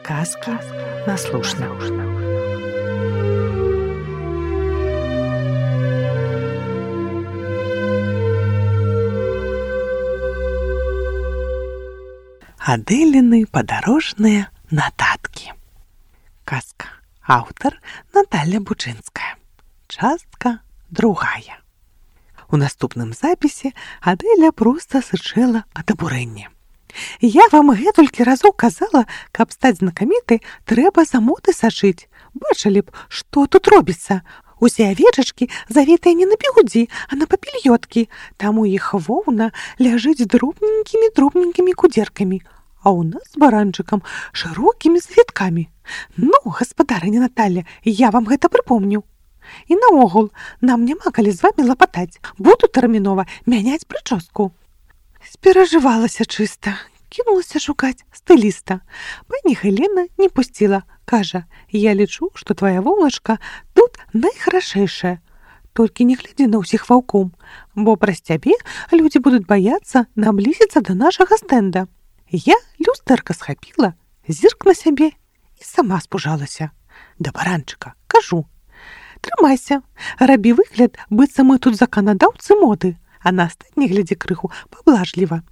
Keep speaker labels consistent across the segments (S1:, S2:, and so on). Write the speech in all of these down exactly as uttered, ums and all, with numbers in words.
S1: Казки на слушна. Адэліны падарожныя нататкі. Казка. Аўтар Наталья Бучынская. Частка другая. У наступным запісе Адэля проста сычэла ад абурэння. Я вам гэтулькі разоў казала, каб стаць знакамітай, трэба за моды сачыць. Бачылі б, што тут робіцца. Усе авечачкі завітыя не на бігудзі, а на папільёткі. Там у іх воўна ляжыць дробненькімі-дробненькімі кудзеркамі, а ў нас з баранчыкам шырокімі завіткамі. Ну, гаспадарыня Наталья, я вам гэта прыпомню. І наогул, нам няма калі з вамі лапатаць. Буду тэрмінова мяняць прычоску. Сперажывалася чыста, кінулася шукаць стыліста. Пані Гелена не пусціла. Кажа, я лічу, што твая воўначка тут найхарашэйшая. Толькі не глядзі на ўсіх ваўком, бо праз цябе людзі будуць баяцца наблізіцца да нашага стэнда. Я люстэрка схапіла, зірк на сябе і сама спужалася. Да баранчыка кажу: трымайся, рабі выгляд, быццам мы тут заканадаўцы моды, а на астатні глядзі крыху паблажліва.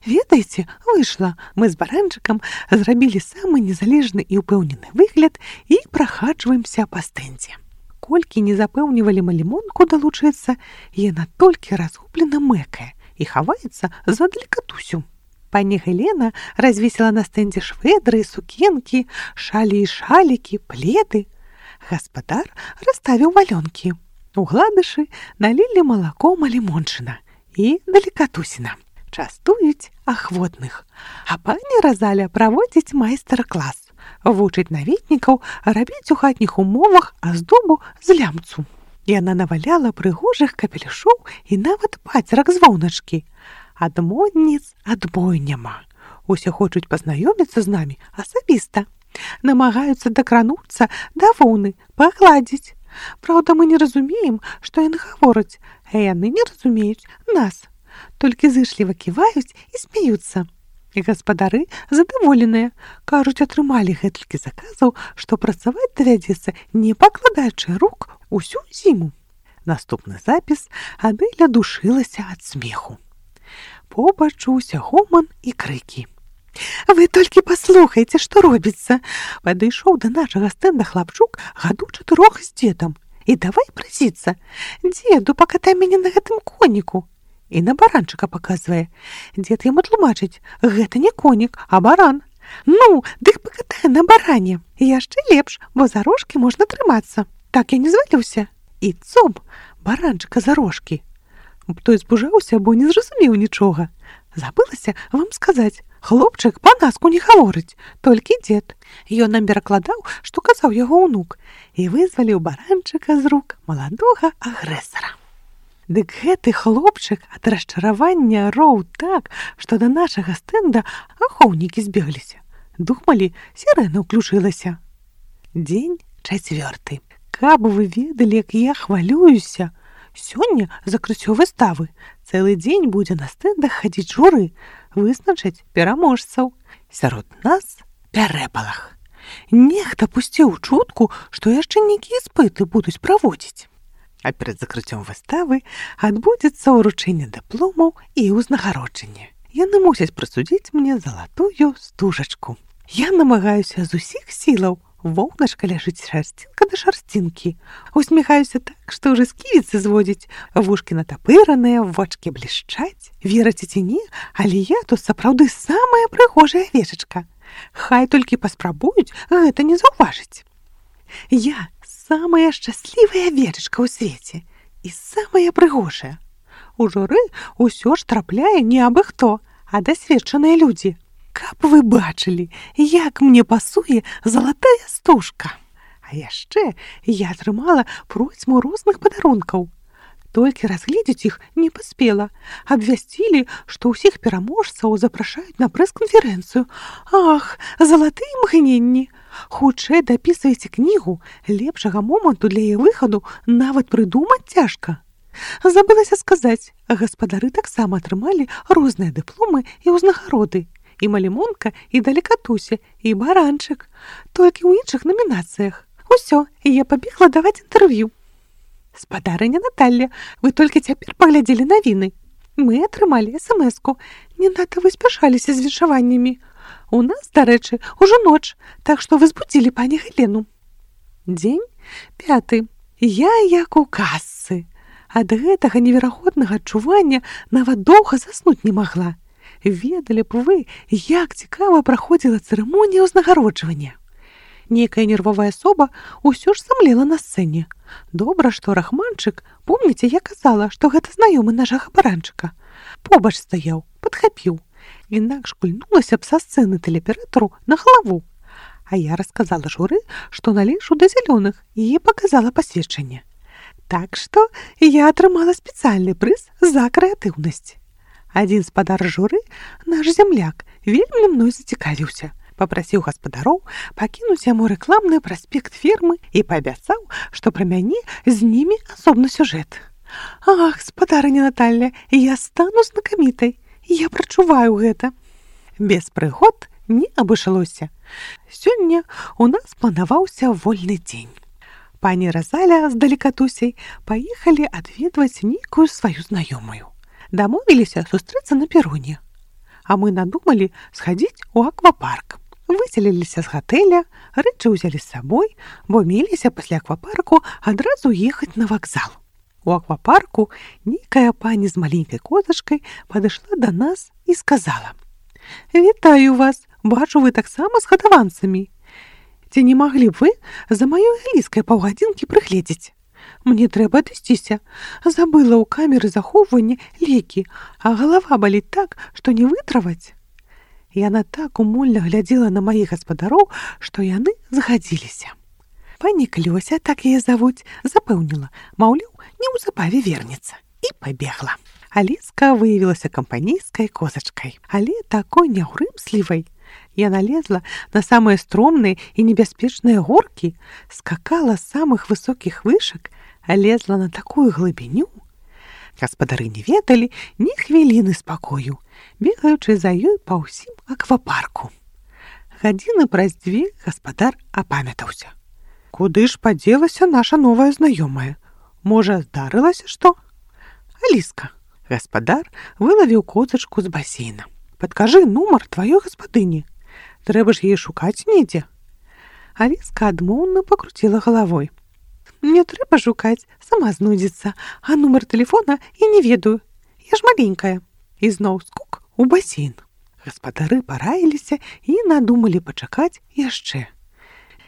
S1: Ведаеце, выйшла, мы з баранчыкам зрабілі самы незалежны і ўпэўнены выгляд і прахаджваемся па стэндзе. Колькі не запэўнівалі мы лімонку далучыцца, яна толькі разгублена мэкае і хаваецца за далекатусю. Пані Гелена развесіла на стэндзе швэдры, сукенкі, шалі і шалікі, пледы. Гаспадар расставіў валёнкі. У гладышы налілі малаком лімончына і далекатусіна. Частуюць ахвотных. А пані Разаля праводзіць майстар-клас. Вучыць наведнікаў рабіць у хатніх умовах аздобу з лямцу. Яна наваляла прыгожых капелюшоў і нават пацерак з воўначкі. Ад модніц адбою няма. Усе хочуць пазнаёміцца з намі асабіста. Намагаюцца дакрануцца да воўны, пагладзіць. Праўда, мы не разумеем, што яны гавораць, а яны не разумеюць нас. Толькі зышліва ківаюць і смеюцца. І гаспадары задаволеныя. Кажуць, атрымалі гэтулькі заказаў, што працаваць давядзецца, не пакладаючы рук усю зіму. Наступны запіс Адэля душылася ад смеху. Побачуўся гоман і крыкі. Вы толькі паслухайце, што робіцца. Падышоў да нашага стэнда хлапчук гадоў чатырох з дзедам. І давай прасіцца: дзеду, пакатай мяне на гэтым коніку. І на баранчыка паказвае. Дзед яму тлумачыць: гэта не конік, а баран. Ну, дык пакатай на баране. Яшчэ лепш, бо за рожкі можна трымацца. Так я не зваліўся. І цоп, баранчыка за рожкі. Той збужаўся, бо не зразумеў нічога. Забылася вам сказаць, хлопчык па-наску не гаворыць, толькі дзед. Ён нам перакладаў, што казаў яго ўнук, і вызваліў баранчыка з рук маладога агрэсара. Дык гэты хлопчык ад расчаравання роў так, што да нашага стэнда ахоўнікі збегліся. Думалі, сірэна ўключылася. Дзень чацвёрты. Каб вы ведалі, як я хвалююся. Сёння закрыццё выставы. Цэлы дзень будзе на стэндах хадзіць журы, вызначаць пераможцаў. Сярод нас пярэпалах. Нехта пусціў чутку, што яшчэ нейкія іспыты будуць праводзіць. А перад закрыццём выставы адбудзецца ўручэнне дыпломаў і ўзнагароджанне. Яны мусяць прысудзіць мне залатую стужачку. Я намагаюся з усіх сілаў. Воўначка ляжыць шарсцінка да шарсцінкі. Усміхаюся так, што ўжо сківіцы зводзіць. Вушкі натапыраныя, вочкі блішчаць. Верыце ці не, але я тут сапраўды самая прыгожая авечачка. Хай толькі паспрабуюць гэта не заўважыць. Я самая шчаслівая авечачка ў свеце і самая прыгожая. У журы ўсё ж трапляе не абы хто, а дасведчаныя людзі. Каб вы бачылі, як мне пасуе залатая стужка. А яшчэ я атрымала процьму розных падарункаў. Толькі разгледзець іх не паспела. Абвясцілі, што ўсіх пераможцаў запрашаюць на прэс-канферэнцыю. Ах, залатыя імгненні! Хутчэй дапісвайце кнігу, лепшага моманту для яе выхаду нават прыдумаць цяжка. Забылася сказаць, гаспадары таксама атрымалі розныя дыпломы і ўзнагароды. і малімонка, і далекатуся, і баранчык. Толькі ў іншых намінацыях. Усё, і я пабегла даваць інтэрв'ю. Спадарыня Наталля, вы толькі цяпер паглядзелі навіны. Мы атрымалі эс-эм-эску. Не надта вы спяшаліся з віншаваннямі. У нас, дарэчы, ужо ноч, так што вы збудзілі пані Галену. Дзень пяты. Я як у касцы. Ад гэтага неверагоднага адчування нават доўга заснуць не магла. Ведалі б вы, як цікава праходзіла цырымонія ўзнагароджвання. Некая нервовая асоба ўсё ж самлела на сцэне. Добра, што рахманчык, помніце, я казала, што гэта знаёмы нашага баранчыка. Побач стаяў, падхапіў. Інакш кульнулася б са сцэны тэлеаператару на галаву. А я расказала журы, што належу да зялёных, і паказала пасведчанне. Так што я атрымала спецыяльны прыз за крэатыўнасць. Адзін спадар журы, наш зямляк, вельмі мной зацікавіўся. Папрасіў гаспадароў пакінуць яму рэкламны праспект фірмы і паабяцаў, што пра мяне знімі асобны сюжэт. Ах, спадарыня Наталля, я стану знакамітай. Я прачуваю гэта. Без прыгод не абышлося. Сёння у нас планаваўся вольны дзень. Пані Разаля з далекатусяй паехалі адведваць нейкую сваю знаёмую. Дамовіліся сустрэцца на пероне. А мы надумалі схадзіць у аквапарк. Выселіліся з гатэля, рэчы ўзялі з сабой, бо меліся пасля аквапарку адразу ехаць на вакзал. У аквапарку нейкая пані з маленькай козачкай падышла да нас і сказала: «Вітаю вас, бачу, вы таксама з гадаванцамі. Ці не маглі б вы за маёй Аліскай паўгадзінкі прыгледзець? Мне трэба адысціся. Забыла ў камеры захоўвання лекі, а галава баліць так, што не вытраваць». Яна так умольна глядзела на маіх гаспадароў, што яны згадзіліся. Пані Клёся, так яе завуць, запэўніла, маўляў, неўзабаве вернецца, і пабегла. Аліска выявілася кампанійскай козачкай, але такой няўрымслівай. Яна лезла на самыя стромныя і небяспечныя горкі, скакала з самых высокіх вышак, а лезла на такую глыбіню. Гаспадары не ведалі ні хвіліны спакою, бегаючы за ёй па ўсім аквапарку. Гадзіны праз дзве гаспадар апамятаўся. Куды ж падзелася наша новая знаёмая? Можа, здарылася што? Аліска. Гаспадар вылавіў козачку з басейна. Падкажы нумар тваёй гаспадыні. Трэба ж яе шукаць недзе. Аліска адмоўна пакруціла галавой. Мне трэба шукаць, сама знойдзецца, а нумар тэлефона я не ведаю. Я ж маленькая. І зноў скок у басейн. Гаспадары параіліся і надумалі пачакаць яшчэ.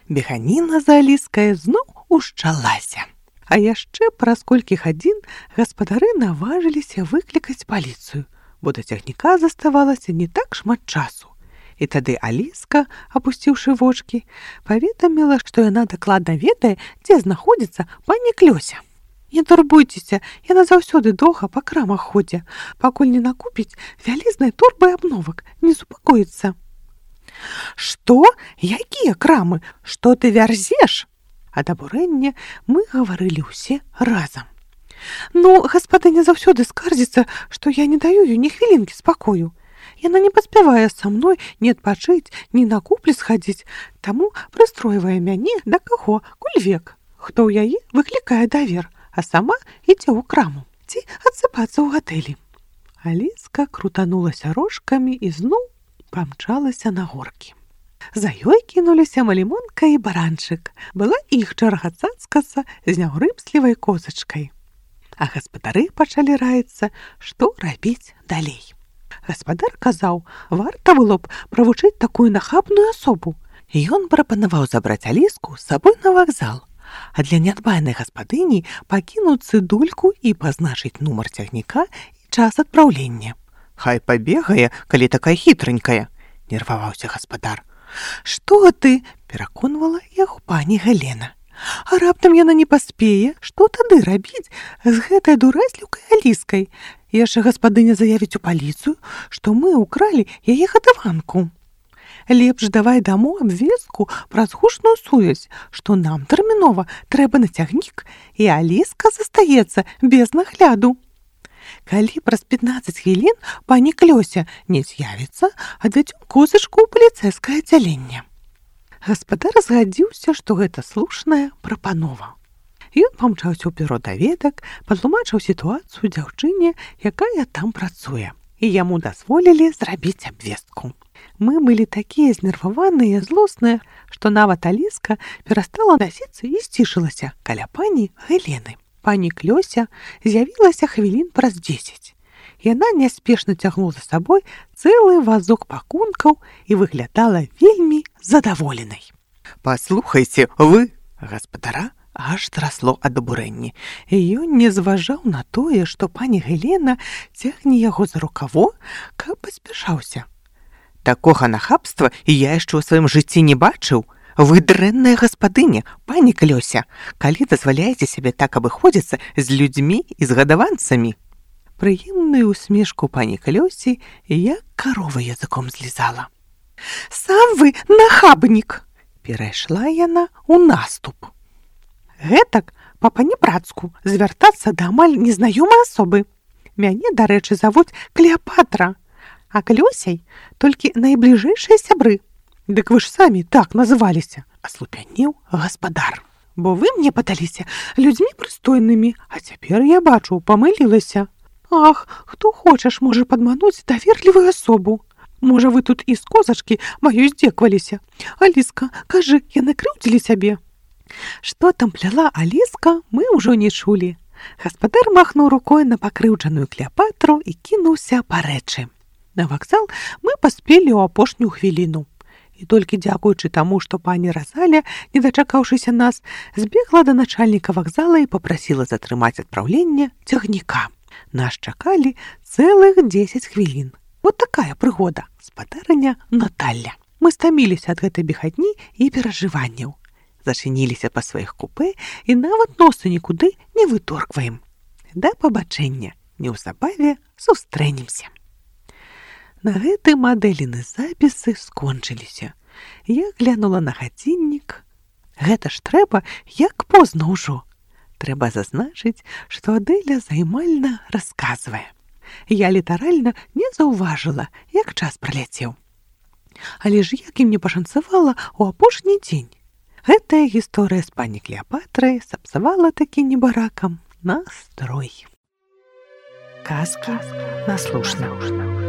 S1: Беганіна за Аліскай зноў ушчалася. А яшчэ праз колькі гадзін гаспадары наважыліся выклікаць паліцыю, бо да цягніка заставалася не так шмат часу. І тады Аліска, апусціўшы вочкі, паведаміла, што яна дакладна ведае, дзе знаходзіцца пані Клёся. Не турбуйцеся, яна заўсёды доўга па крамах ходзе, пакуль не накупіць вялізнай торбай абновак, не супакоіцца. Што? Якія крамы? Што ты вярзеш? Ад абурэння мы гаварылі ўсе разам. Ну, гаспадыня заўсёды скардзіцца, што я не даю ёй ні хвілінкі спакою. Яна не паспявае са мной ні адпачыць, ні на куплі схадзіць, таму прыстройвае мяне да каго, коль век. Хто ў яе выклікае давер, а сама ідзе ў краму ці адсыпацца ў гатэлі. Аліска крутанулася рожкамі і зноў памчалася на горкі. За ёй кінуліся малімонка і баранчык. Была іх чарга цацкацца з няўрымслівай козачкай. А гаспадары пачалі раіцца, што рабіць далей. Гаспадар казаў, варта было б правучыць такую нахабную асобу. Ён прапанаваў забраць Аліску з сабой на вакзал, а для нядбайнай гаспадыні пакінуць цыдульку і пазначыць нумар цягніка і час адпраўлення. Хай пабегае, калі такая хітранькая, нерваваўся гаспадар. Што ты? Пераконвала яго пані Галена. А раптам яна не паспее, што тады рабіць з гэтай дурэзліўкай Аліскай? Яшчэ гаспадыня заявіць у паліцыю, што мы ўкралі яе гадаванку. Лепш давай даму абвестку праз гучную сувязь, што нам тэрмінова трэба на цягнік, і Аліска застаецца без нагляду. Калі праз пятнаццаць хвілін пані Клёся не з'явіцца, адвядзём козачку ў паліцэйскае аддзяленне. Гаспадар згадзіўся, што гэта слушная прапанова. Ён памчаўся ў бюро даведак, патлумачыў сітуацыю дзяўчыне, якая там працуе, і яму дазволілі зрабіць абвестку. Мы былі такія знерваваныя і злосныя, што нават Аліска перастала насіцца і сцішылася каля пані Галены. Пані Клёся з'явілася хвілін праз дзесяць. Яна няспешна цягнула за сабой цэлы вазок пакункаў і выглядала вельмі задаволенай. «Паслухайце, вы, гаспадара!» Аж трасло ад абурэння. Ён не зважаў на тое, што пані Галена цягне яго за рукаво, каб паспяшаўся. «Такога нахабства я яшчэ ў сваім жыцці не бачыў. Вы дрэнная гаспадыня, пані Клёся, калі дазваляеце сябе так абыходзіцца з людзьмі і з гадаванцамі». Прыемную усмешку пані Клёсі як карова языком злізала. «Сам вы нахабнік!» Перайшла яна ў наступ. Гэтак па панібрацку звяртацца да амаль незнаёмай асобы. Мяне, дарэчы, завуць Клеапатра, а Клёсяй толькі найбліжэйшыя сябры. Дык вы ж самі так называліся, аслупянеў гаспадар. Бо вы мне падаліся людзьмі прыстойнымі, а цяпер я бачу, памылілася. Ах, хто хочаш можа падмануць даверлівую асобу. Можа, вы тут і з козачкі маёй здзекваліся. Аліска, кажы, яны крыўдзілі цябе. Што там пляла Аліска, мы ўжо не чулі. Гаспадар махнуў рукой на пакрыўджаную Клеапатру і кінуўся па рэчы. На вакзал мы паспелі ў апошнюю хвіліну. І толькі дзякуючы таму, што пані Разаля, не дачакаўшыся нас, збегла да начальніка вакзала і папрасіла затрымаць адпраўленне цягніка. Нас чакалі цэлых дзесяць хвілін. Вот такая прыгода, спадарыня Наталля. Мы стаміліся ад гэтай бегатні і перажыванняў. Зачыніліся па сваіх купэ і нават носы нікуды не выторгваем. Да пабачэння, неўзабаве сустрэнемся. На гэты мадэліны запісы скончыліся. Я глянула на гадзіннік. Гэта ж трэба, як позна ўжо. Трэба зазначыць, што Адэля займальна расказвае. Я літаральна не заўважыла, як час праляцеў. Але ж як і мне пашанцавала ў апошні дзень. Гэтая гісторыя з пані Клеапатрай сапсавала такі небаракам настрой. Казкі на слушна.